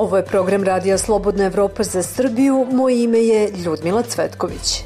Ovo je program Radija Slobodna Evropa za Srbiju. Moje ime je Ljudmila Cvetković.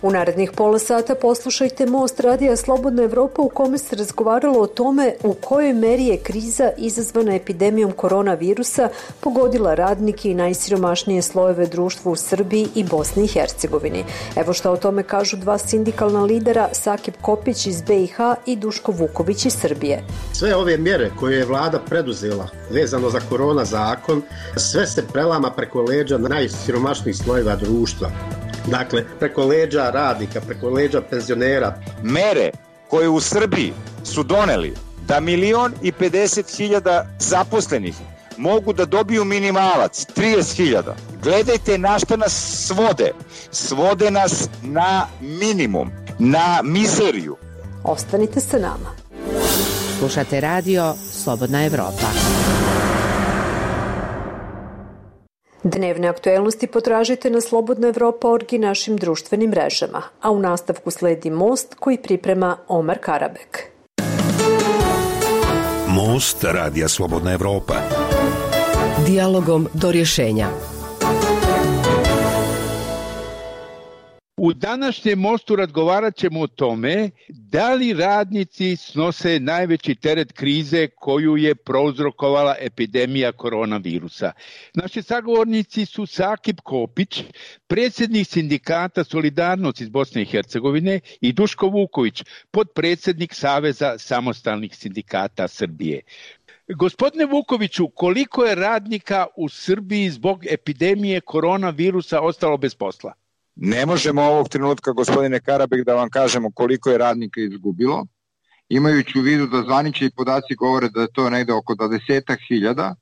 U narednih pola sata poslušajte Most Radija Slobodna Evropa u kome se razgovaralo o tome u kojoj meri je kriza izazvana epidemijom koronavirusa pogodila radnike i najsiromašnije slojeve društva u Srbiji i Bosni i Hercegovini. Evo šta o tome kažu dva sindikalna lidera, Sakip Kopić iz BiH i Duško Vuković iz Srbije. Sve ove mjere koje je vlada preduzela vezano za korona zakon, sve se prelama preko leđa najsiromašnijih slojeva društva. Dakle, preko leđa radnika, preko leđa penzionera. Mere koje u Srbiji su doneli da 1.050.000 zaposlenih mogu da dobiju minimalac 30.000. Gledajte na što nas svode. Svode nas na minimum, na mizeriju. Ostanite sa nama. Slušate radio Slobodna Evropa. Dnevne aktuelnosti potražite na slobodnaevropa.org i našim društvenim mrežama, a u nastavku sledi Most koji priprema Omar Karabek. Most Radija Slobodna Evropa. Dijalogom do rješenja. U današnjem Mostu razgovarat ćemo o tome da li radnici snose najveći teret krize koju je prouzrokovala epidemija koronavirusa. Naši sagovornici su Sakip Kopić, predsjednik sindikata Solidarnost iz Bosne i Hercegovine, i Duško Vuković, potpredsjednik Saveza samostalnih sindikata Srbije. Gospodine Vukoviću, koliko je radnika u Srbiji zbog epidemije koronavirusa ostalo bez posla? Ne možemo ovog trenutka, gospodine Karabek, da vam kažemo koliko je radnika izgubilo, imajući u vidu da zvanični podaci govore da je to negde oko 20.000,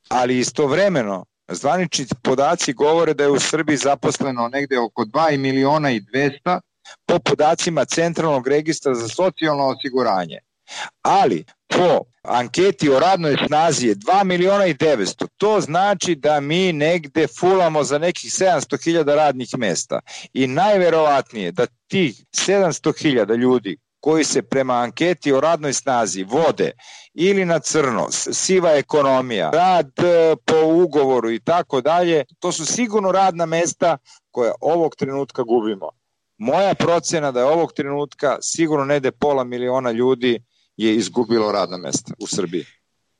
ali istovremeno zvanični podaci govore da je u Srbiji zaposleno negde oko 2.200.000 po podacima Centralnog registra za socijalno osiguranje. Ali po anketi o radnoj snazi je 2.900.000. To znači da mi negde fulamo za nekih 700.000 radnih mesta. I najverovatnije da tih 700.000 ljudi koji se prema anketi o radnoj snazi vode ili na crno, siva ekonomija, rad po ugovoru i tako dalje, to su sigurno radna mesta koja ovog trenutka gubimo. Moja procena da je ovog trenutka sigurno negde 500.000 ljudi je izgubilo radna mesta u Srbiji.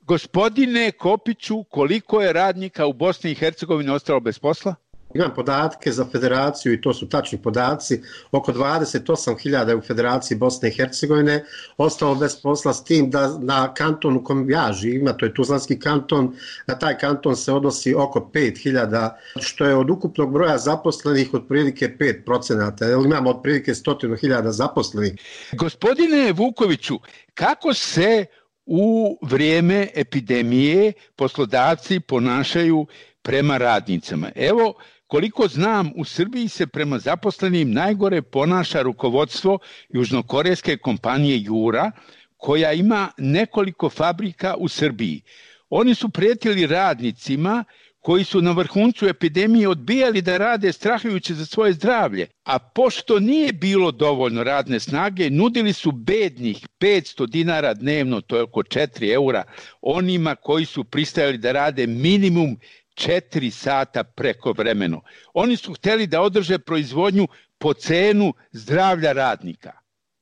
Gospodine Kopiću, koliko je radnika u Bosni i Hercegovini ostalo bez posla? Imam podatke za federaciju i to su tačni podaci. Oko 28.000 je u federaciji Bosne i Hercegovine ostalo bez posla, s tim da na kanton u kojem ja živim, a to je Tuzlanski kanton, na taj kanton se odnosi oko 5.000, što je od ukupnog broja zaposlenih otprilike 5%. Imamo otprilike 100.000 zaposlenih. Gospodine Vukoviću, kako se u vrijeme epidemije poslodavci ponašaju prema radnicama? Evo, koliko znam, u Srbiji se prema zaposlenim najgore ponaša rukovodstvo južnokorejske kompanije Jura, koja ima nekoliko fabrika u Srbiji. Oni su prijetili radnicima koji su na vrhuncu epidemije odbijali da rade strahujući za svoje zdravlje, a pošto nije bilo dovoljno radne snage, nudili su bednih 500 dinara dnevno, to je oko 4 eura, onima koji su pristajali da rade minimum 4 sata prekovremeno. Oni su htjeli da održe proizvodnju po cenu zdravlja radnika.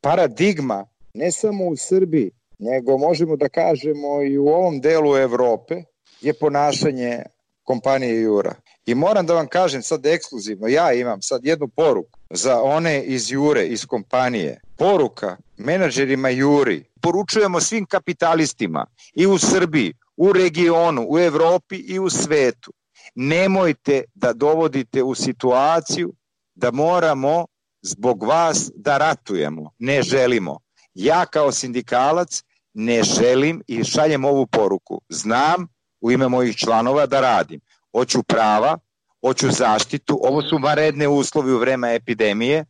Paradigma, ne samo u Srbiji, nego možemo da kažemo i u ovom delu Evrope, je ponašanje kompanije Jura. I moram da vam kažem sad ekskluzivno, ja imam sad jednu poruku za one iz Jure, iz kompanije. Poruka menadžerima Juri, poručujemo svim kapitalistima i u Srbiji, u regionu, u Evropi i u svetu. Nemojte da dovodite u situaciju da moramo zbog vas da ratujemo. Ne želimo. Ja kao sindikalac ne želim i šaljem ovu poruku. Znam u ime mojih članova da radim. Hoću prava, hoću zaštitu. Ovo su vanredne uslovi u vreme epidemije,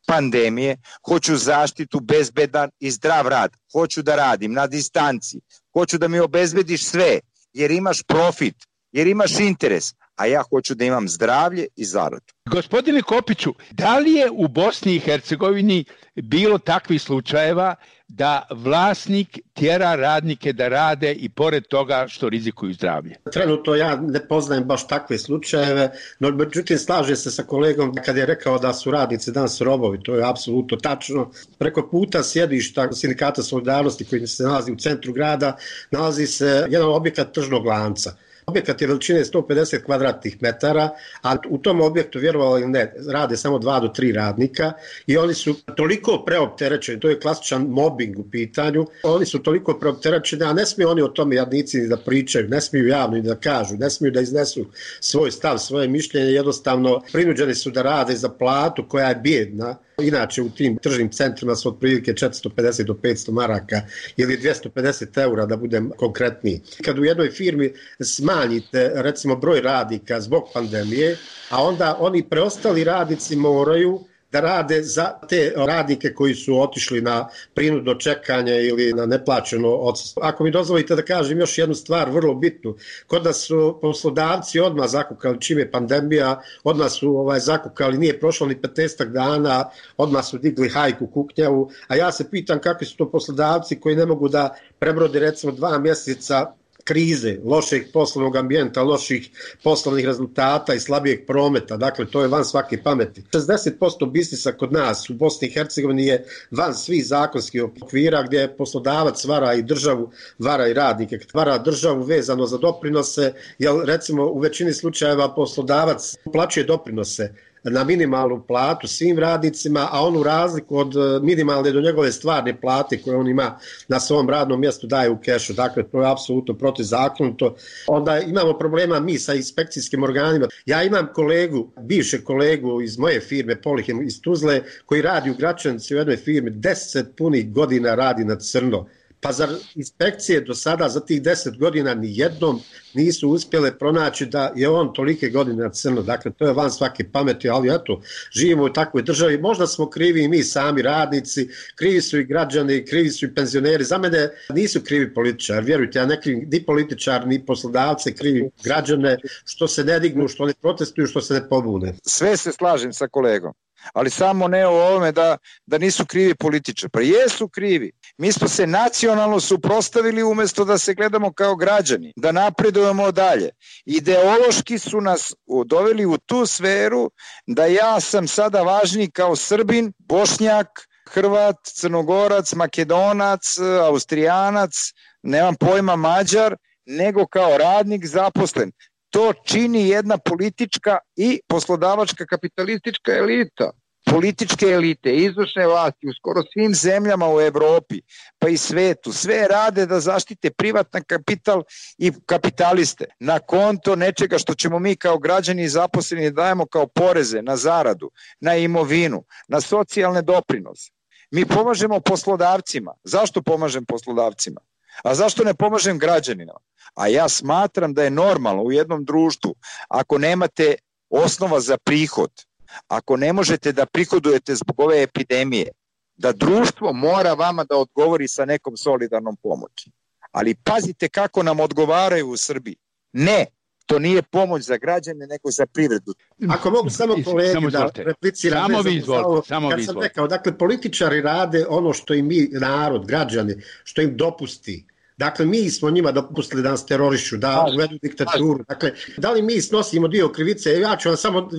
pandemije. Hoću zaštitu, bezbedan i zdrav rad. Hoću da radim na distanci. Hoću da mi obezbediš sve, jer imaš profit, jer imaš interes, a ja hoću da imam zdravlje i zaradu. Gospodine Kopiću, da li je u Bosni i Hercegovini bilo takvih slučajeva da vlasnik tjera radnike da rade i pored toga što rizikuju zdravlje? Trenutno ja ne poznajem baš takve slučajeve, no međutim slažem se sa kolegom kad je rekao da su radnici danas robovi, to je apsolutno tačno. Preko puta sjedišta Sindikata solidarnosti koji se nalazi u centru grada, nalazi se jedan objekat tržnog lanca. Objekat je veličine 150 kvadratnih metara, a u tom objektu, vjerovali ili ne, rade samo 2 do 3 radnika i oni su toliko preopterećeni, to je klasičan mobbing u pitanju, oni su toliko preopterećeni, a ne smiju oni o tome jadnici ni da pričaju, ne smiju javno ni da kažu, ne smiju da iznesu svoj stav, svoje mišljenje, jednostavno prinuđeni su da rade za platu koja je bijedna. Inače u tim tržnim centrima su otprilike 450 do 500 maraka ili 250 eura da budem konkretniji. Kad u jednoj firmi smanjite recimo broj radnika zbog pandemije, a onda oni preostali radnici moraju da rade za te radnike koji su otišli na prinudno čekanje ili na neplaćeno odsustvo. Ako mi dozvolite da kažem još jednu stvar vrlo bitnu, kod nas su poslodavci odmah zakukali čim je pandemija, odmah su zakukali, nije prošlo ni 15 dana, odmah su digli hajku, kuknjavu, a ja se pitam kakvi su to poslodavci koji ne mogu da prebrode recimo 2 mjeseca krize, lošeg poslovnog ambijenta, loših poslovnih rezultata i slabijeg prometa. Dakle, to je van svake pameti. 60% biznisa kod nas u Bosni i Hercegovini je van svih zakonskih okvira gdje poslodavac vara i državu, vara i radnike. Vara državu vezano za doprinose, jer recimo u većini slučajeva poslodavac plaćuje doprinose na minimalnu platu svim radnicima, a onu razliku od minimalne do njegove stvarne plate koje on ima na svom radnom mjestu daje u kešu. Dakle, to je apsolutno protivzakonito. Onda imamo problema mi sa inspekcijskim organima. Ja imam bivšeg kolegu iz moje firme Polihem iz Tuzle koji radi u Gračanici u jednoj firmi 10 punih godina radi na crno. Pa zar inspekcije do sada za tih 10 godina ni jednom nisu uspjele pronaći da je on tolike godine na crno. Dakle, to je van svake pameti, ali eto, živimo u takvoj državi. Možda smo krivi i mi sami radnici, krivi su i građani, krivi su i penzioneri. Za mene nisu krivi političari, vjerujte, ja ne krivim ni političar, ni poslodavce, krivim građane što se ne dignu, što ne protestuju, što se ne pobune. Sve se slažem sa kolegom, ali samo ne o ovome da nisu krivi političari. Pa jesu krivi. Mi smo se nacionalno suprotstavili umjesto da se gledamo kao građani, da napredujemo dalje. Ideološki su nas doveli u tu sferu da ja sam sada važniji kao Srbin, Bošnjak, Hrvat, Crnogorac, Makedonac, Austrijanac, nemam pojma Mađar, nego kao radnik zaposlen. To čini jedna politička i poslodavačka kapitalistička elita. Političke elite, izvršne vlasti u skoro svim zemljama u Evropi, pa i svetu, sve rade da zaštite privatan kapital i kapitaliste na konto nečega što ćemo mi kao građani zaposleni dajemo kao poreze na zaradu, na imovinu, na socijalne doprinose. Mi pomažemo poslodavcima. Zašto pomažem poslodavcima? A zašto ne pomažem građanima? A ja smatram da je normalno u jednom društvu, ako nemate osnova za prihod, ako ne možete da prihodujete zbog ove epidemije, da društvo mora vama da odgovori sa nekom solidarnom pomoći. Ali pazite kako nam odgovaraju u Srbiji. Ne, to nije pomoć za građane, nego za privredu. Ako mogu samo kolegi da repliciram. Samo sam rekao, dakle, političari rade ono što im mi, narod, građani, što im dopusti. Dakle, mi smo njima dopustili da nas terorišu, da uvedu diktaturu. Dakle, da li mi snosimo dio krivice? Ja ću vam samo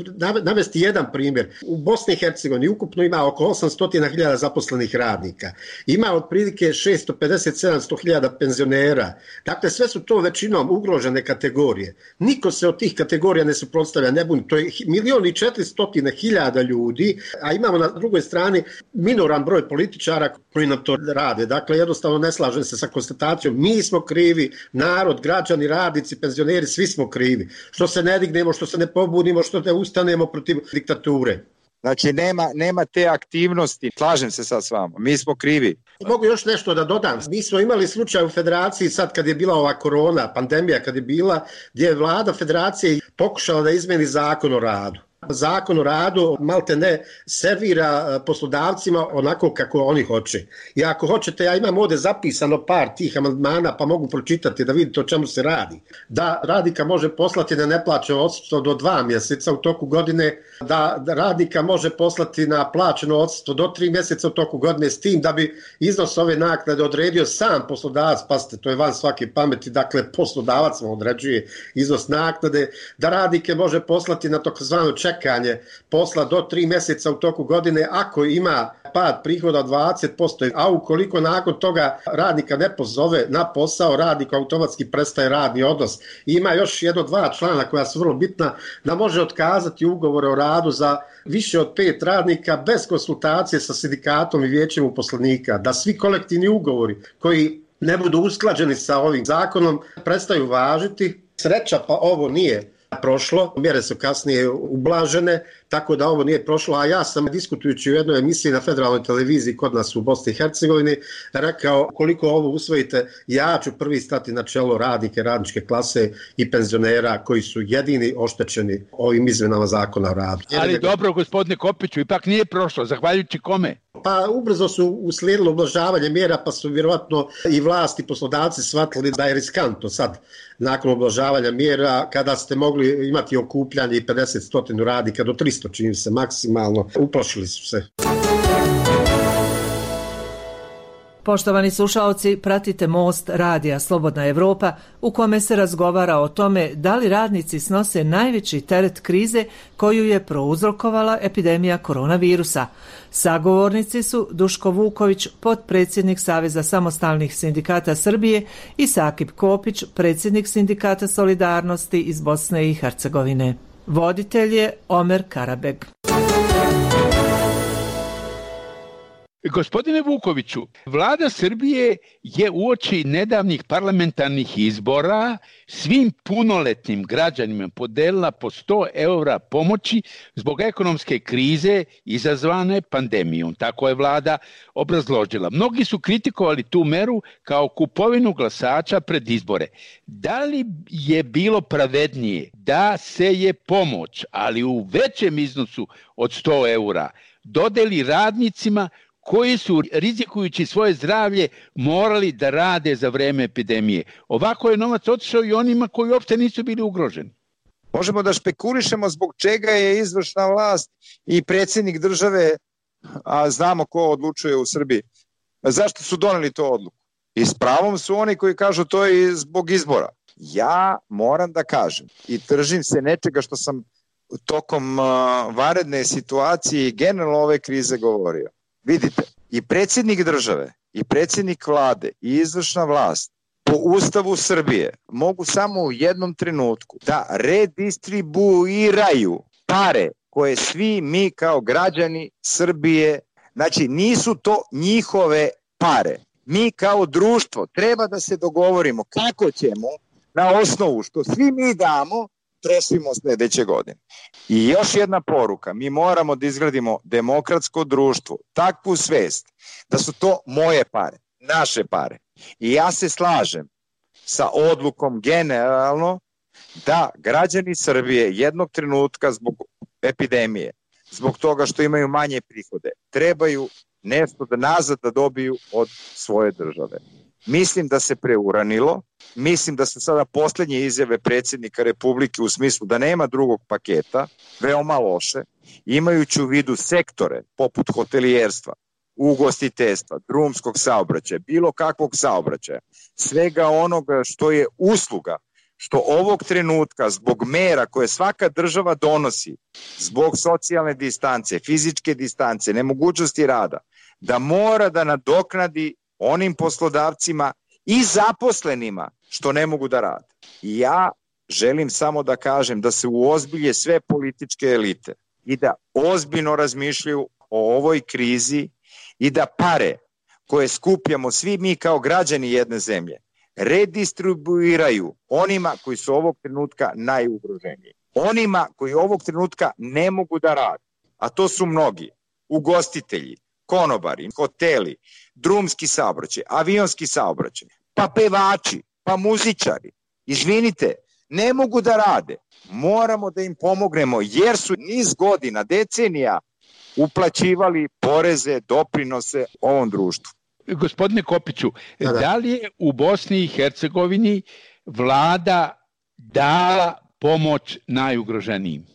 navesti jedan primjer. U Bosni i Hercegovini ukupno ima oko 800.000 zaposlenih radnika. Ima otprilike 650-700.000 penzionera. Dakle, sve su to većinom ugrožene kategorije. Niko se od tih kategorija ne suprotstavlja, ne buni. To je 1.400.000 ljudi, a imamo na drugoj strani minoran broj političara koji nam to rade. Dakle, jednostavno ne slažem se sa konstatacijom. Mi smo krivi, narod, građani, radnici, penzioneri, svi smo krivi. Što se ne dignemo, što se ne pobunimo, što ne ustanemo protiv diktature. Znači, nema te aktivnosti. Slažem se sad s vama. Mi smo krivi. Mogu još nešto da dodam. Mi smo imali slučaj u federaciji sad kad je bila ova korona, pandemija kad je bila, gdje je vlada federacije pokušala da izmeni zakon o radu. Zakon o radu malte ne servira poslodavcima onako kako oni hoće. I ako hoćete, ja imam ovdje zapisano par tih amandmana pa mogu pročitati da vidite o čemu se radi. Da radnika može poslati na neplaćeno odsustvo do 2 mjeseca u toku godine, da radnika može poslati na plaćeno odsustvo do 3 mjeseca u toku godine, s tim da bi iznos ove naknade odredio sam poslodavac, pazite, to je van svake pameti, dakle poslodavac mu određuje iznos naknade, da radnike može poslati na takozvano čekanje posla do 3 mjeseca u toku godine ako ima pad prihoda od 20%, a ukoliko nakon toga radnika ne pozove na posao, radnik automatski prestaje radni odnos. I ima još 1-2 člana koja su vrlo bitna, da može otkazati ugovore o radu za više od 5 radnika bez konsultacije sa sindikatom i vijećem uposlenika, da svi kolektivni ugovori koji ne budu usklađeni sa ovim zakonom prestaju važiti. Sreća pa ovo nije prošlo, mjere su kasnije ublažene, tako da ovo nije prošlo, a ja sam diskutujući u jednoj emisiji na federalnoj televiziji kod nas u Bosni i Hercegovini rekao koliko ovo usvojite, ja ću prvi stati na čelo radnike, radničke klase i penzionera koji su jedini oštećeni ovim izmjenama zakona o radu. Ali dobro, gospodine Kopiću, ipak nije prošlo, zahvaljujući kome? Pa ubrzo su uslijedilo ublažavanje mjera, pa su vjerovatno i vlasti i poslodavci shvatili da je riskantno sad nakon ublažavanja mjera, kada ste mogli imati okupljanje i 50-100 radnika do 300 čini se maksimalno, uplašili su se. Poštovani slušaoci, pratite Most radija Slobodna Evropa u kome se razgovara o tome da li radnici snose najveći teret krize koju je prouzrokovala epidemija koronavirusa. Sagovornici su Duško Vuković, potpredsjednik Saveza samostalnih sindikata Srbije, i Sakip Kopić, predsjednik Sindikata Solidarnosti iz Bosne i Hercegovine. Voditelj je Omer Karabeg. Gospodine Vukoviću, vlada Srbije je uoči nedavnih parlamentarnih izbora svim punoletnim građanima podelila po 100 eura pomoći zbog ekonomske krize izazvane pandemijom. Tako je vlada obrazložila. Mnogi su kritikovali tu meru kao kupovinu glasača pred izbore. Da li je bilo pravednije da se je pomoć, ali u većem iznosu od 100 eura, dodeli radnicima koji su, rizikujući svoje zdravlje, morali da rade za vreme epidemije? Ovako je novac otišao i onima koji uopšte nisu bili ugroženi. Možemo da špekulišemo zbog čega je izvršna vlast i predsjednik države, a znamo ko odlučuje u Srbiji, zašto su doneli to odluku. I s pravom su oni koji kažu to je zbog izbora. Ja moram da kažem i držim se nečega što sam tokom vanredne situacije i generalno ove krize govorio. Vidite, i predsjednik države, i predsjednik vlade, i izvršna vlast po Ustavu Srbije mogu samo u jednom trenutku da redistribuiraju pare koje svi mi kao građani Srbije, znači nisu to njihove pare. Mi kao društvo treba da se dogovorimo kako ćemo na osnovu što svi mi damo trošimo sljedeće godine. I još jedna poruka, mi moramo da izgradimo demokratsko društvo, takvu svest da su to moje pare, naše pare. I ja se slažem sa odlukom generalno da građani Srbije jednog trenutka zbog epidemije, zbog toga što imaju manje prihode, trebaju nešto da nazad da dobiju od svoje države. Mislim da se preuranilo, mislim da su sada posljednje izjave predsjednika Republike u smislu da nema drugog paketa, veoma loše, imajući u vidu sektore poput hotelijerstva, ugostiteljstva, drumskog saobraćaja, bilo kakvog saobraćaja, svega onoga što je usluga, što ovog trenutka zbog mera koje svaka država donosi, zbog socijalne distance, fizičke distance, nemogućnosti rada, da mora da nadoknadi onim poslodavcima i zaposlenima što ne mogu da rade. I ja želim samo da kažem da se uozbilje sve političke elite i da ozbiljno razmišljaju o ovoj krizi i da pare koje skupljamo svi mi kao građani jedne zemlje redistribuiraju onima koji su ovog trenutka najugroženiji. Onima koji ovog trenutka ne mogu da rade, a to su mnogi, ugostitelji, konobari, hoteli, drumski saobraćaj, avionski saobraćaj, pa pevači, pa muzičari. Izvinite, ne mogu da rade. Moramo da im pomognemo jer su niz godina, decenija uplaćivali poreze, doprinose ovom društvu. Gospodine Kopiću, da li je u Bosni i Hercegovini vlada dala pomoć najugroženijim?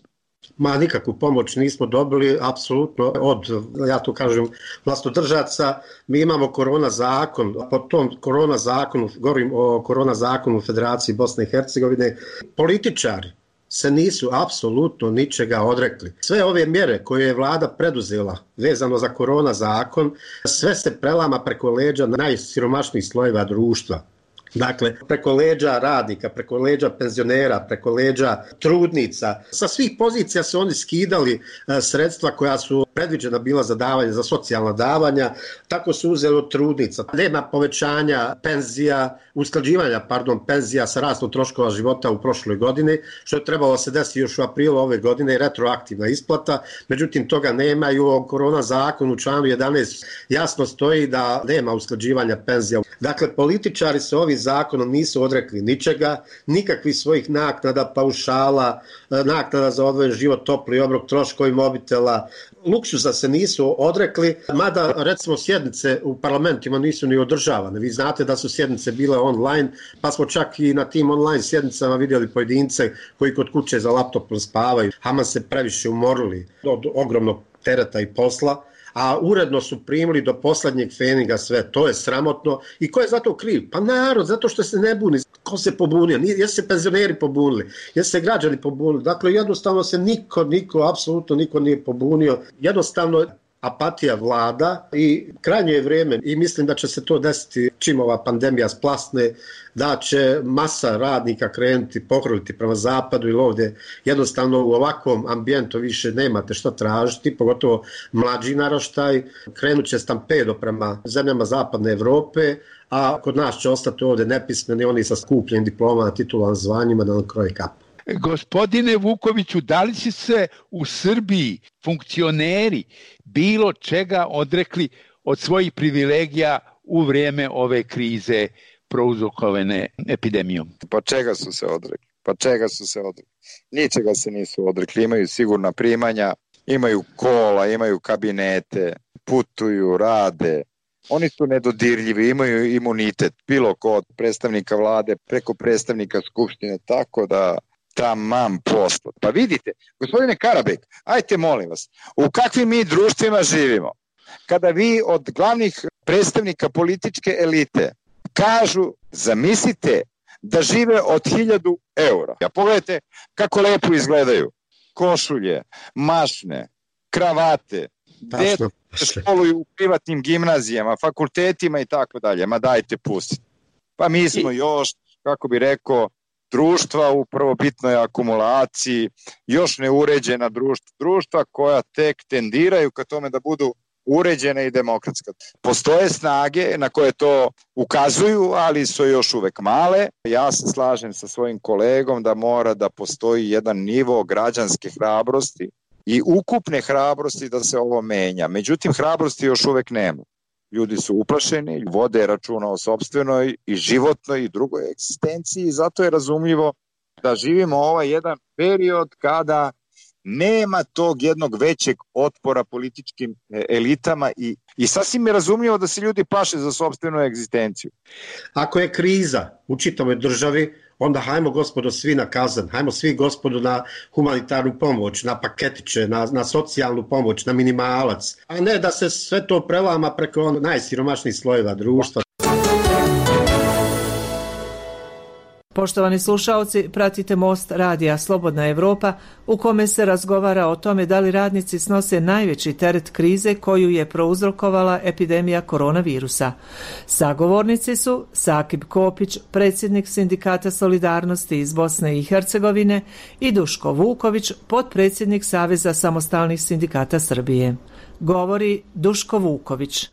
Nikakvu pomoć nismo dobili, apsolutno od, ja to kažem, vlastodržaca. Mi imamo korona zakon, po tom korona zakonu, govorim o korona zakonu u Federaciji Bosne i Hercegovine, političari se nisu apsolutno ničega odrekli. Sve ove mjere koje je vlada preduzela vezano za korona zakon, sve se prelama preko leđa najsiromašnijih slojeva društva. Dakle, preko leđa radnika, preko leđa penzionera, preko leđa trudnica. Sa svih pozicija su oni skidali sredstva koja su predviđena bila za davanje, za socijalna davanja, tako su uzeli od trudnica. Nema povećanja penzija, usklađivanja penzija sa rastom troškova života u prošloj godini, što je trebalo se desiti još u aprilu ove godine, retroaktivna isplata, međutim toga nema i u ovom korona zakonu u članu 11 jasno stoji da nema usklađivanja penzija. Dakle, političari se ovim zakonom nisu odrekli ničega, nikakvih svojih naknada, paušala, naknada za odvojen život, topli obrok, troškovi mobitela, luksuza se nisu odrekli, mada recimo sjednice u parlamentima nisu ni održavane. Vi znate da su sjednice bile online, pa smo čak i na tim online sjednicama vidjeli pojedince koji kod kuće za laptopom spavaju. Haman se previše umorili od ogromnog tereta i posla, a uredno su primili do poslednjeg feninga sve. To je sramotno. I ko je zato kriv? Pa narod, zato što se ne buni. Ko se pobunio? Jesu se penzioneri pobunili? Jesu se građani pobunili? Dakle, jednostavno se apsolutno niko nije pobunio. Jednostavno apatija vlada i krajnje je vrijeme i mislim da će se to desiti čim ova pandemija splasne, da će masa radnika krenuti, pohrliti prema zapadu ili ovdje jednostavno u ovakvom ambijentu više nemate šta tražiti, pogotovo mlađi naraštaj, krenut će stampedo prema zemljama zapadne Evrope, a kod nas će ostati ovdje nepismeni, oni sa skupljenim diplomama, titulama, zvanjima da nam kroje kapu. Gospodine Vukoviću, da li će se u Srbiji funkcioneri bilo čega odrekli od svojih privilegija u vrijeme ove krize prouzrokovane epidemijom? Pa čega su se odrekli? Ničega se nisu odrekli. Imaju sigurna primanja, imaju kola, imaju kabinete, putuju, rade. Oni su nedodirljivi, imaju imunitet, bilo ko od predstavnika vlade preko predstavnika skupštine, tako da tamam posla. Pa vidite, gospodine Karabek, ajte molim vas, u kakvim mi društvima živimo? Kada vi od glavnih predstavnika političke elite kažu, zamislite da žive od 1000 eura. Ja pogledajte kako lepo izgledaju. Košulje, mašne, kravate, djeca školuju u privatnim gimnazijama, fakultetima i tako dalje. Ma dajte pustiti. Pa mi smo još, kako bi rekao, društva u prvobitnoj akumulaciji, još neuređena društva koja tek tendiraju ka tome da budu uređena i demokratska. Postoje snage na koje to ukazuju, ali su još uvek male. Ja se slažem sa svojim kolegom da mora da postoji jedan nivo građanske hrabrosti i ukupne hrabrosti da se ovo menja. Međutim, hrabrosti još uvek nema. Ljudi su uplašeni, vode računa o sopstvenoj i životnoj i drugoj egzistenciji i zato je razumljivo da živimo ovaj jedan period kada nema tog jednog većeg otpora političkim elitama i sasvim je razumljivo da se ljudi plaše za sopstvenu egzistenciju. Ako je kriza u čitavoj državi, onda hajmo gospodo svi na kazan, hajmo svi gospodo na humanitarnu pomoć, na paketiće, na socijalnu pomoć, na minimalac, a ne da se sve to prelama preko najsiromašnijih slojeva društva. Poštovani slušaoci, pratite Most radija Slobodna Evropa u kome se razgovara o tome da li radnici snose najveći teret krize koju je prouzrokovala epidemija koronavirusa. Sagovornici su Sakib Kopić, predsjednik Sindikata Solidarnosti iz Bosne i Hercegovine i Duško Vuković, potpredsjednik Saveza samostalnih sindikata Srbije. Govori Duško Vuković.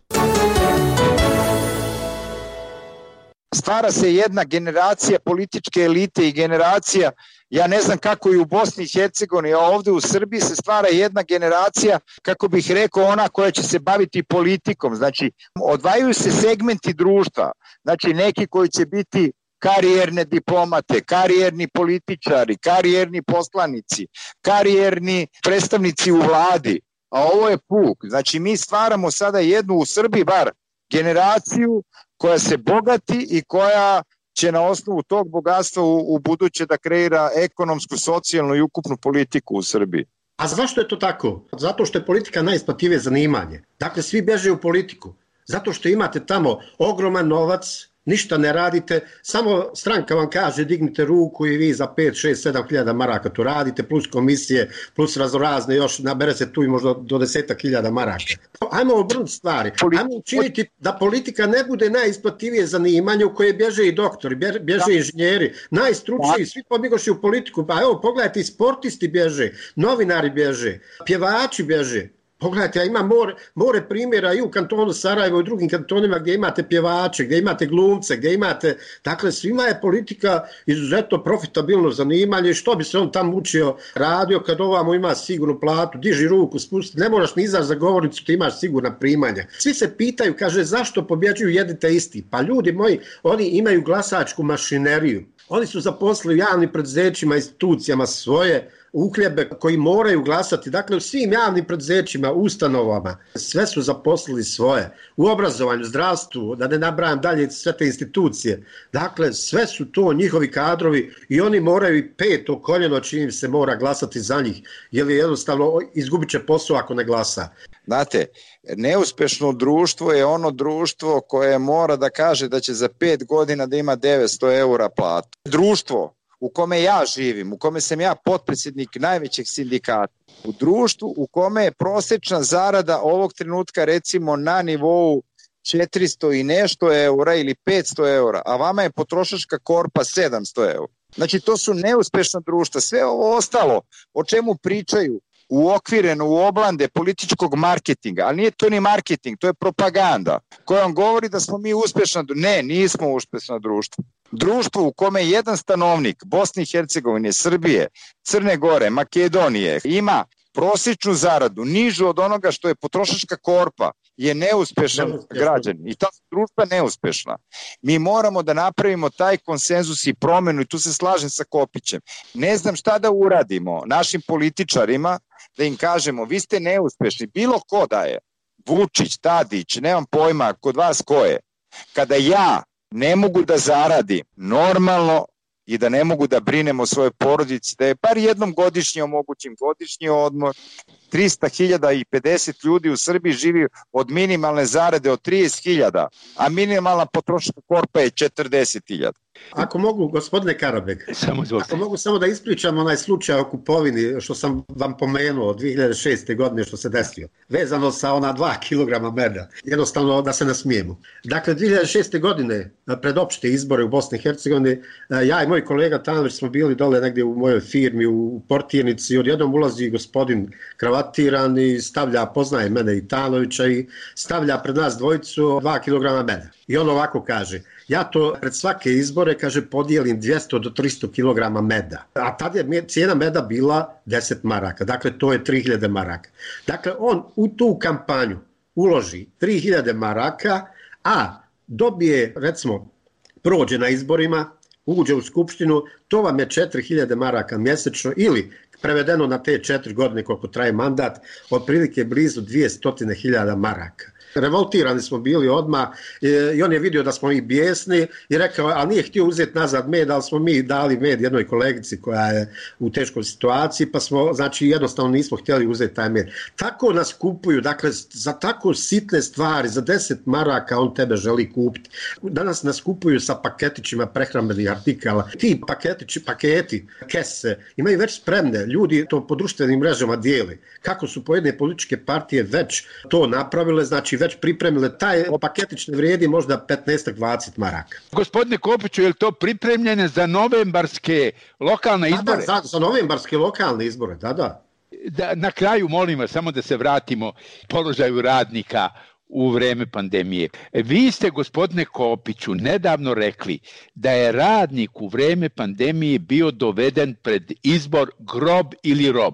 Stvara se jedna generacija političke elite i generacija, ja ne znam kako i u Bosni i Hercegovini, a ovdje u Srbiji se stvara jedna generacija, kako bih rekao, ona koja će se baviti politikom. Znači, odvajaju se segmenti društva, znači neki koji će biti karijerne diplomate, karijerni političari, karijerni poslanici, karijerni predstavnici u vladi, a ovo je puk. Znači mi stvaramo sada jednu u Srbiji bar generaciju koja se bogati i koja će na osnovu tog bogatstva u buduće da kreira ekonomsku, socijalnu i ukupnu politiku u Srbiji. A zašto je to tako? Zato što je politika najisplativije zanimanje. Dakle, svi beže u politiku. Zato što imate tamo ogroman novac, ništa ne radite, samo stranka vam kaže dignite ruku i vi za 5, 6, 7 hiljada maraka to radite, plus komisije, plus raznorazne, još nabere se tu i možda do 10.000 maraka. Ajmo obrnuti stvari, ajmo učiniti da politika ne bude najisplativije zanimanje u koje bježe i doktori, bježe i inženjeri, najstručniji, svi pobjegoši u politiku, pa evo pogledajte, i sportisti bježe, novinari bježe, pjevači bježe. Pogledajte, ja imam more primjera i u kantonu Sarajevo i u drugim kantonima gdje imate pjevače, gdje imate glumce, gdje imate... Dakle, svima je politika izuzetno profitabilno zanimanje. Što bi se on tamo učio, radio kad ovamo ima sigurnu platu, diži ruku, spusti, ne moraš ni izaći za govornicu, ti imaš sigurna primanja. Svi se pitaju, kaže, zašto pobjeđuju jedni te isti? Pa ljudi moji, oni imaju glasačku mašineriju. Oni su zaposlili javnim preduzećima, institucijama svoje uhljebe koji moraju glasati. Dakle, u svim javnim preduzećima, ustanovama, sve su zaposlili svoje. U obrazovanju, zdravstvu, da ne nabrajam dalje sve te institucije. Dakle, sve su to njihovi kadrovi i oni moraju i peto koljeno čim se mora glasati za njih, jer je jednostavno izgubit će posao ako ne glasa. Znate, neuspešno društvo je ono društvo koje mora da kaže da će za 5 godina da ima 900 eura platu. Društvo u kome ja živim, u kome sam ja potpredsjednik najvećeg sindikata, u društvu u kome je prosječna zarada ovog trenutka recimo na nivou 400 i nešto eura ili 500 eura, a vama je potrošačka korpa 700 eura. Znači to su neuspešna društva. Sve ovo ostalo o čemu pričaju uokvireno u oblande političkog marketinga, ali nije to ni marketing, to je propaganda koja vam govori da smo mi uspešna društva. Ne, nismo uspešna društva. Društvo u kome jedan stanovnik Bosne i Hercegovine, Srbije, Crne Gore, Makedonije ima prosječnu zaradu nižu od onoga što je potrošačka korpa je neuspešan građanin i ta društva neuspešna. Mi moramo da napravimo taj konsenzus i promenu i tu se slažem sa Kopićem. Ne znam šta da uradimo našim političarima da im kažemo vi ste neuspešni, bilo ko da je, Vučić, Tadić, nemam pojma kod vas ko je. Kada ja ne mogu da zaradim normalno i da ne mogu da brinem o svojoj porodici, da je bar jednom godišnje omogućim godišnji odmor. 300.050 ljudi u Srbiji živi od minimalne zarade od 30.000, a minimalna potrošačka korpa je 40.000. Ako mogu, gospodine Karabeg, ako mogu samo da ispričam onaj slučaj o kupovini što sam vam pomenuo 2006. godine što se desio, vezano sa ona 2 kg meda, jednostavno da se nasmijemo. Dakle, 2006. godine, pred opšte izbore u Bosni i Hercegovini, ja i moj kolega Tanović smo bili dole negdje u mojoj firmi u portirnici i odjednom ulazi gospodin kravatiran i stavlja, poznaje mene i Tanovića i stavlja pred nas dvojicu 2 kg meda. I on ovako kaže, ja to pred svake izbore, kaže, podijelim 200 do 300 kg meda. A tada je cijena meda bila 10 maraka, dakle to je 3000 maraka. Dakle, on u tu kampanju uloži 3000 maraka, a dobije, recimo, prođe na izborima, uđe u skupštinu, to vam je 4000 maraka mjesečno ili prevedeno na te 4 godine koliko traje mandat, otprilike blizu 200.000 maraka. Revoltirani smo bili odmah i on je vidio da smo i bijesni i rekao, a nije htio uzeti nazad med, ali smo mi dali med jednoj kolegici koja je u teškoj situaciji, pa smo, znači, jednostavno nismo htjeli uzeti taj med. Tako nas kupuju, dakle, za tako sitne stvari, za 10 maraka on tebe želi kupiti. Danas nas kupuju sa paketićima prehrambenih artikala. Ti paketi, kese, imaju već spremne, ljudi to po društvenim mrežama dijeli. Kako su pojedine političke partije već to napravile, znači već pripremile, taj paketić ne vrijedi možda 15-20 maraka. Gospodine Kopiću, je li to pripremljene za novembarske lokalne izbore? Da, za novembarske lokalne izbore, da. Na kraju, molim vas, samo da se vratimo položaju radnika u vreme pandemije. Vi ste, gospodine Kopiću, nedavno rekli da je radnik u vreme pandemije bio doveden pred izbor grob ili rob.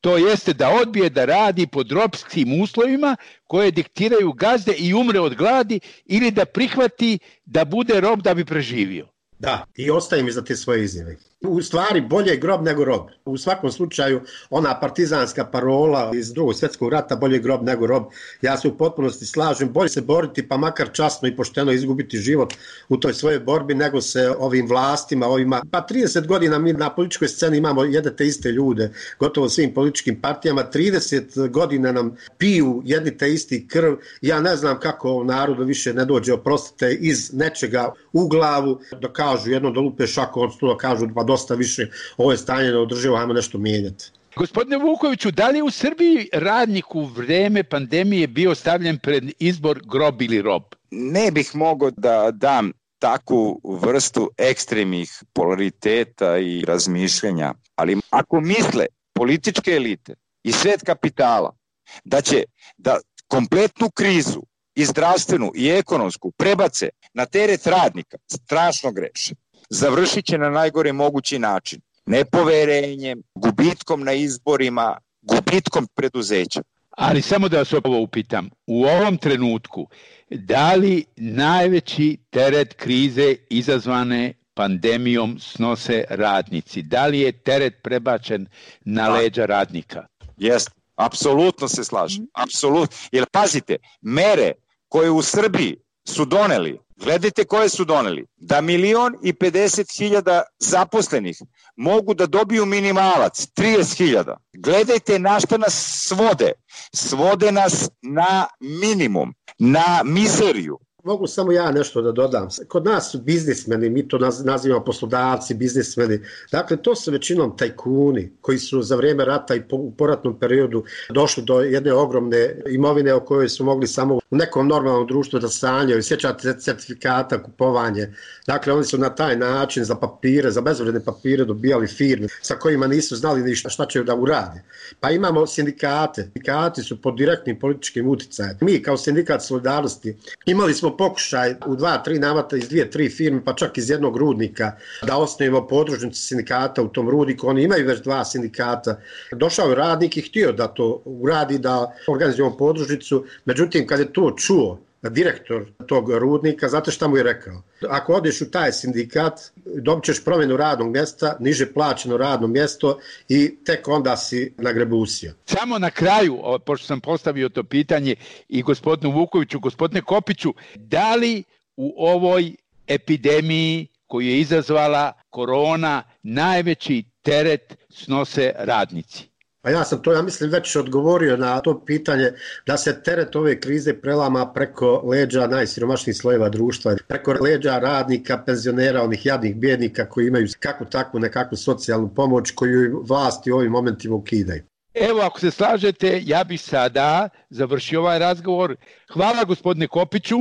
To jeste da odbije da radi pod robskim uslovima koje diktiraju gazde i umre od gladi ili da prihvati da bude rob da bi preživio. Da, i ostajem iza te svoje izjave. U stvari bolje je grob nego rob. U svakom slučaju ona partizanska parola iz Drugog svjetskog rata, bolje je grob nego rob, ja se u potpunosti slažem, bolje se boriti pa makar časno i pošteno izgubiti život u toj svojoj borbi nego se ovim vlastima, pa 30 godina mi na političkoj sceni imamo jedne te iste ljude, gotovo svim političkim partijama, 30 godina nam piju jedni te isti krv, ja ne znam kako narodu više ne dođe, oprostite, iz nečega u glavu, da kažu jedno da lupe šaku od stula, kažu pa dosta više, ovo je stanje neodrživo, ajmo nešto mijenjati. Gospodine Vukoviću, da li u Srbiji radnik u vreme pandemije bio stavljen pred izbor grob ili rob? Ne bih mogao da dam takvu vrstu ekstremnih polariteta i razmišljanja, ali ako misle političke elite i svet kapitala da će da kompletnu krizu i zdravstvenu i ekonomsku prebace na teret radnika, strašno greše. Završit će na najgore mogući način. Nepoverenjem, gubitkom na izborima, gubitkom preduzeća. Ali samo da vas ovo upitam, u ovom trenutku, da li najveći teret krize izazvane pandemijom snose radnici? Da li je teret prebačen na leđa radnika? Jeste, apsolutno se slažem. Apsolutno. Jer pazite, mere koje u Srbiji su doneli, gledajte koje su doneli, da 1.050.000 zaposlenih mogu da dobiju minimalac, 30.000. Gledajte na šta nas svode. Svode nas na minimum, na mizeriju. Mogu samo ja nešto da dodam. Kod nas su biznismeni, mi to nazivamo poslodavci, biznismeni. Dakle, to su većinom tajkuni koji su za vrijeme rata i u poratnom periodu došli do jedne ogromne imovine o kojoj su mogli samo u nekom normalnom društvu da sanjaju. Sjećate certifikata, kupovanje. Dakle, oni su na taj način za papire, za bezvredne papire dobijali firme sa kojima nisu znali ni šta će da urade. Pa imamo sindikate. Sindikati su pod direktnim političkim uticajem. Mi kao sindikat Solidarnosti imali smo pokušaj u 2-3 navrata iz 2-3 firme, pa čak iz jednog rudnika, da osnovimo podružnicu sindikata u tom rudniku. Oni imaju već 2 sindikata. Došao je radnik i htio da to uradi, da organizujemo podružnicu. Međutim, kad je to čuo direktor tog rudnika, znate šta mu je rekao? Ako odeš u taj sindikat, dobit ćeš promjenu radnog mjesta, niže plaćeno radno mjesto i tek onda si nagrebusio. Samo na kraju, pošto sam postavio to pitanje i gospodinu Vukoviću, gospodine Kopiću, da li u ovoj epidemiji koju je izazvala korona najveći teret snose radnici? Pa ja mislim, već odgovorio na to pitanje da se teret ove krize prelama preko leđa najsiromašnijih slojeva društva, preko leđa radnika, penzionera, onih jadnih bijednika koji imaju kakvu nekakvu socijalnu pomoć koju vlasti u ovim momentima ukidaju. Evo, ako se slažete, ja bih sada završio ovaj razgovor. Hvala gospodine Kopiću.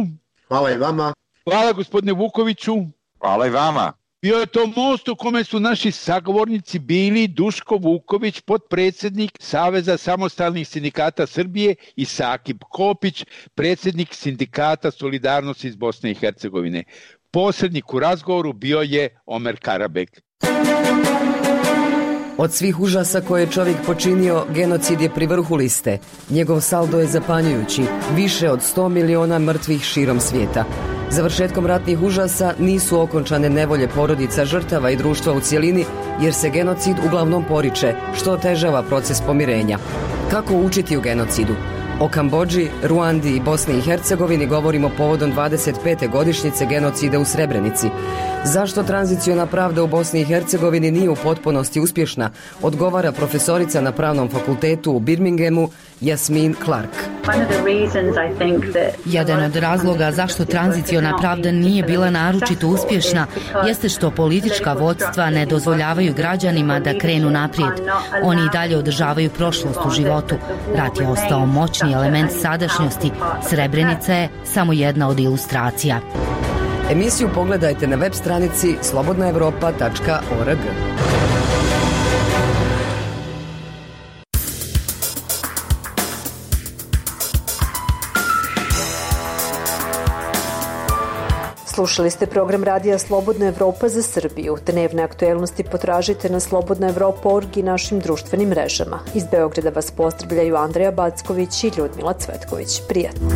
Hvala i vama. Hvala gospodine Vukoviću. Hvala i vama. Bio je to most u kome su naši sagovornici bili Duško Vuković, potpredsjednik Saveza samostalnih sindikata Srbije, i Sakip Kopić, predsjednik Sindikata Solidarnosti iz Bosne i Hercegovine. Posrednik u razgovoru bio je Omer Karabek. Od svih užasa koje je čovjek počinio, genocid je pri vrhu liste. Njegov saldo je zapanjujući, više od 100 miliona mrtvih širom svijeta. Završetkom ratnih užasa nisu okončane nevolje porodica žrtava i društva u cjelini, jer se genocid uglavnom poriče, što otežava proces pomirenja. Kako učiti u genocidu? O Kambodži, Ruandi i Bosni i Hercegovini govorimo povodom 25. godišnjice genocida u Srebrenici. Zašto tranziciona pravda u Bosni i Hercegovini nije u potpunosti uspješna, odgovara profesorica na Pravnom fakultetu u Birminghamu Jasmin Clark. Jedan od razloga zašto tranziciona pravda nije bila naročito uspješna jeste što politička vodstva ne dozvoljavaju građanima da krenu naprijed. Oni i dalje održavaju prošlost u životu. Rat je ostao moćni element sadašnjosti. Srebrenica je samo jedna od ilustracija. Emisiju pogledajte na web stranici slobodnaevropa.org. Slušali ste program radija Slobodna Evropa za Srbiju. Dnevne aktuelnosti potražite na slobodnaevropa.org i našim društvenim mrežama. Iz Beograda vas pozdravljaju Andreja Backović i Ljudmila Cvetković. Prijatno.